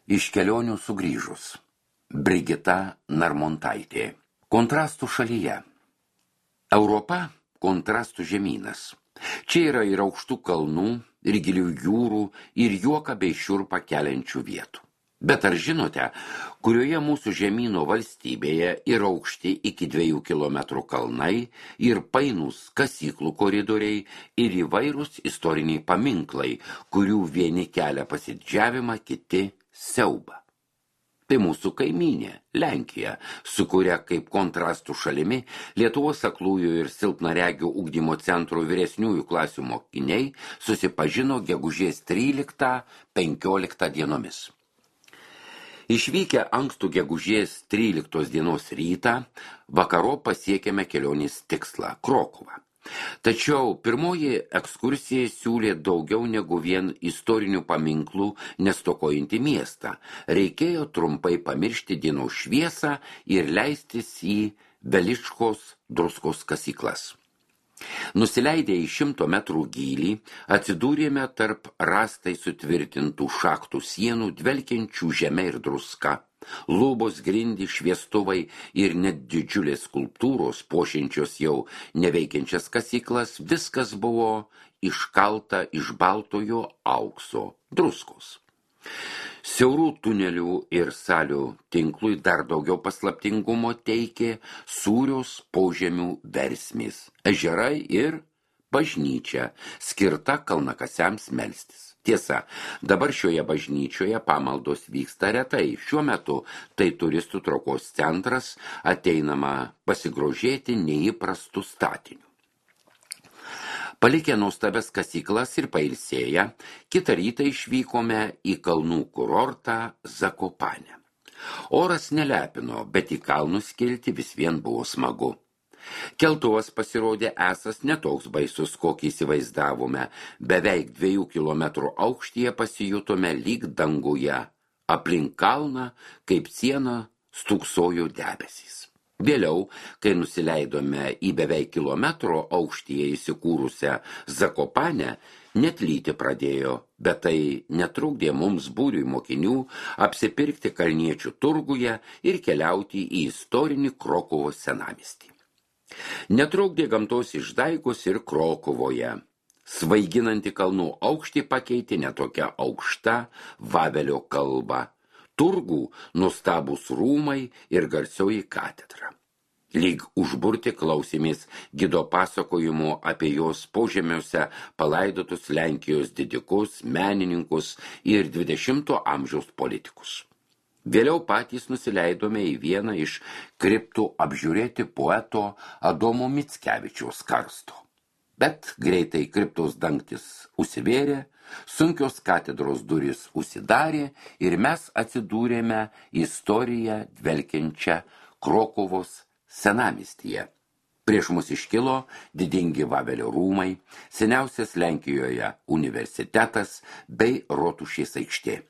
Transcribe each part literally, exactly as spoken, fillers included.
Iš kelionių sugrįžus. Brigita Narmontaitė. Kontrastų šalyje. Europa – kontrastų žemynas. Čia yra ir aukštų kalnų, ir gilių jūrų, ir juoką bei šiurpą keliančių vietų. Bet ar žinote, kurioje mūsų žemyno valstybėje yra aukšti iki dviejų kilometrų kalnai ir painūs kasyklų koridoriai ir įvairūs istoriniai paminklai, kurių vieni kelia pasididžiavimą, kiti siaubą. Tai mūsų kaimynė, Lenkija, su kuria kaip kontrastų šalimi Lietuvos aklųjų ir silpnaregių ugdymo centro vyresniųjų klasių mokiniai susipažino gegužės tryliktą penkioliktą dienomis. Išvykę ankstų gegužės tryliktos dienos rytą, vakaro pasiekėme kelionės tikslą – Krokuvą. Tačiau pirmoji ekskursija siūlė daugiau negu vien istorinių paminklų nestokojantį miestą. Reikėjo trumpai pamiršti dienos šviesą ir leistis į Veličkos druskos kasyklas. Nusileidę į šimto metrų gylį, atsidūrėme tarp rastai sutvirtintų šachtų sienų, dvelkiančių žeme ir druska. Lubos, grindys, šviestuvai ir net didžiulės skulptūros, puošiančios jau neveikiančias kasyklas, viskas buvo iškalta iš baltojo aukso druskos. Siaurų tunelių ir salių tinklui dar daugiau paslaptingumo teikė sūrios požemių versmės, ežerai ir bažnyčia, skirta kalnakasiams melstis. Tiesa, dabar šioje bažnyčioje pamaldos vyksta retai. Šiuo metu tai turistų traukos centras, ateinama pasigrožėti neįprastų statinių. Palikę nuostabias kasyklas ir pailsėję, kitą rytą išvykome į kalnų kurortą Zakopanę. Oras nelepino, bet į kalnus kilti vis vien buvo smagu. Keltuvas pasirodė esas netoks baisus, kokį įsivaizdavome. Beveik dviejų kilometrų aukštyje pasijutome lyg danguje. Aplink kalną, kaip siena, stūksojo debesys. Vėliau, kai nusileidome į beveik kilometro aukštyje įsikūrusią Zakopanę, net lyti pradėjo, bet tai netrukdė mums būriui mokinių apsipirkti kalniečių turguje ir keliauti į istorinį Krokuvos senamiestį. Netrukdė gamtos išdaigos ir Krokuvoje. Svaiginanti kalnų aukštį pakeitė netokia aukšta Vavelio kalba. Turgų nuostabūs rūmai ir garsioji katedra. Lyg užburti klausėmės gido pasakojimo apie jos požemiuose palaidotus Lenkijos didikus, menininkus ir dvidešimto amžiaus politikus. Vėliau patys nusileidome į vieną iš kriptų apžiūrėti poeto Adomo Mickevičiaus karsto. Bet greitai kriptos dangtis užsivėrė, sunkios katedros durys užsidarė ir mes atsidūrėme istoriją dvelkiančią Krokuvos senamiestyje. Prieš mus iškilo didingi Vavelio rūmai, seniausias Lenkijoje universitetas bei Rotušės aikštė.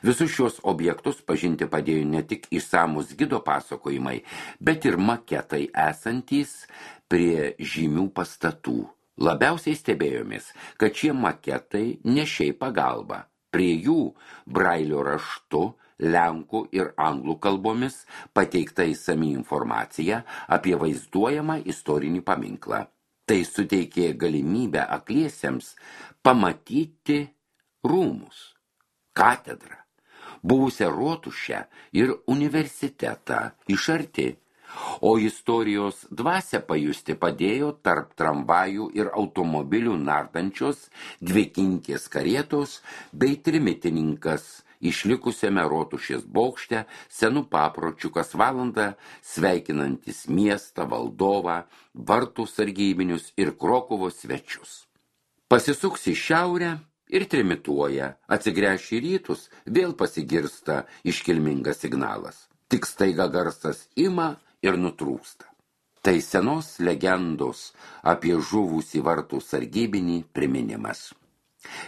Visus šios objektus pažinti padėjo ne tik išsamus gido pasakojimai, bet ir maketai esantys prie žymių pastatų. Labiausiai stebėjomės, kad šie maketai ne šiaip pagalba. Prie jų brailio raštu, lenkų ir anglų kalbomis pateikta išsami informacija apie vaizduojamą istorinį paminklą. Tai suteikė galimybę akliesiems pamatyti rūmus, katedrą, buvusią rotušę ir universitetą iš arti, o istorijos dvasią pajusti padėjo tarp tramvajų ir automobilių nardančios dvikinkės karietos bei trimitininkas išlikusiame rotušės bokšte senų papročių kas valandą sveikinantis miestą, valdovą, vartų sargybinius ir Krokuvos svečius. Pasisuks į šiaurę ir trimituoja, atsigręš į rytus, vėl pasigirsta iškilmingas signalas. Tik staiga garsas ima ir nutrūksta. Tai senos legendos apie žuvusį vartų sargybinį priminimas.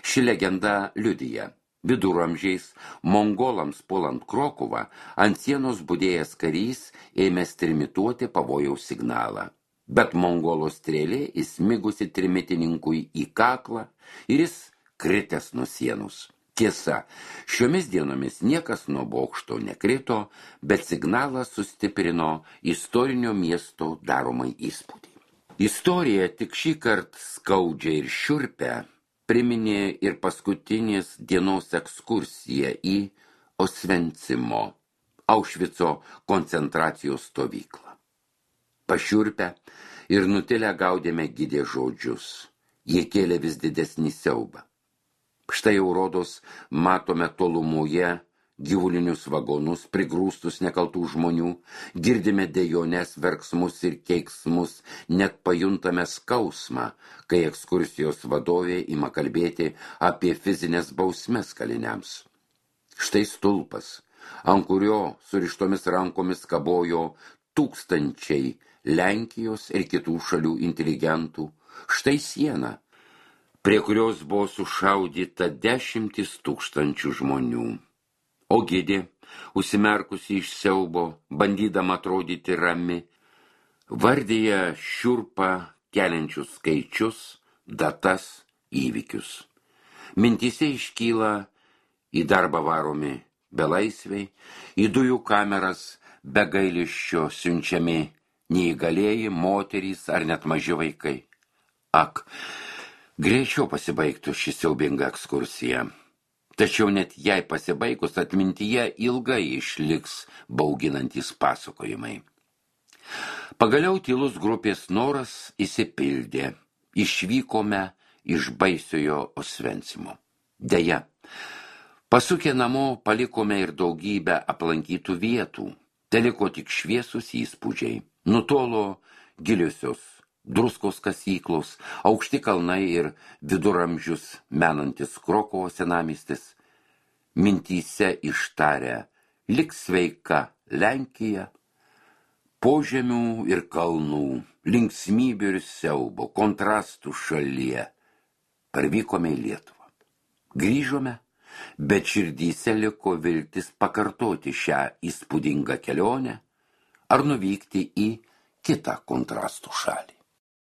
Ši legenda liudija. Viduramžiais mongolams puolant Krokuvą ant sienos budėjęs karys ėmė trimituoti pavojaus signalą. Bet mongolo strėlė įsmigusi trimitininkui į kaklą ir jis kritęs nuo sienos. Tiesa, šiomis dienomis niekas nuo bokšto nekrito, bet signalas sustiprino istorinio miesto daromai įspūdį. Istorija tik šį kartą skaudžią ir šiurpę priminė ir paskutinės dienos ekskursiją į Osvencimo, Aušvico koncentracijos stovyklą. Pašiurpę ir nutilę gaudėme gidė žodžius. Jie kėlė vis didesnį siaubą. Štai jau rodos matome tolumoje gyvulinius vagonus, prigrūstus nekaltų žmonių, girdime dejones, verksmus ir keiksmus, net pajuntame skausmą, kai ekskursijos vadovė ima kalbėti apie fizinės bausmes kaliniams. Štai stulpas, ant kurio surištomis rankomis kabojo tūkstančiai Lenkijos ir kitų šalių inteligentų, štai siena, prie kurios buvo sušaudyta dešimtis tūkstančių žmonių. O gidė, užsimerkusi iš siaubo, bandydama atrodyti rami, vardyja šiurpą keliančius skaičius, datas, įvykius. Mintyse iškyla į darbą varomi belaisviai, į dujų kameras be gailesčio siunčiami neįgalieji, moterys ar net maži vaikai. Ak, greičiau pasibaigtų ši siaubinga ekskursija. Tačiau net jai pasibaigus atmintyje ilgai išliks bauginantys pasakojimai. Pagaliau tylus grupės noras įsipildė. Išvykome iš baisiojo Osvencimo. Deja, pasukę namo palikome ir daugybę aplankytų vietų. Teliko tik šviesus įspūdžiai. Nutolo giliosios druskos kasyklos, aukšti kalnai ir viduramžius menantis Krokuvo senamiestis. Mintyse ištarę lik sveika Lenkija, požemių ir kalnų, linksmybių ir siaubo, kontrastų šalyje. Parvykome į Lietuvą. Grįžome, bet širdyse liko viltis pakartoti šią įspūdingą kelionę ar nuvykti į kitą kontrastų šalį.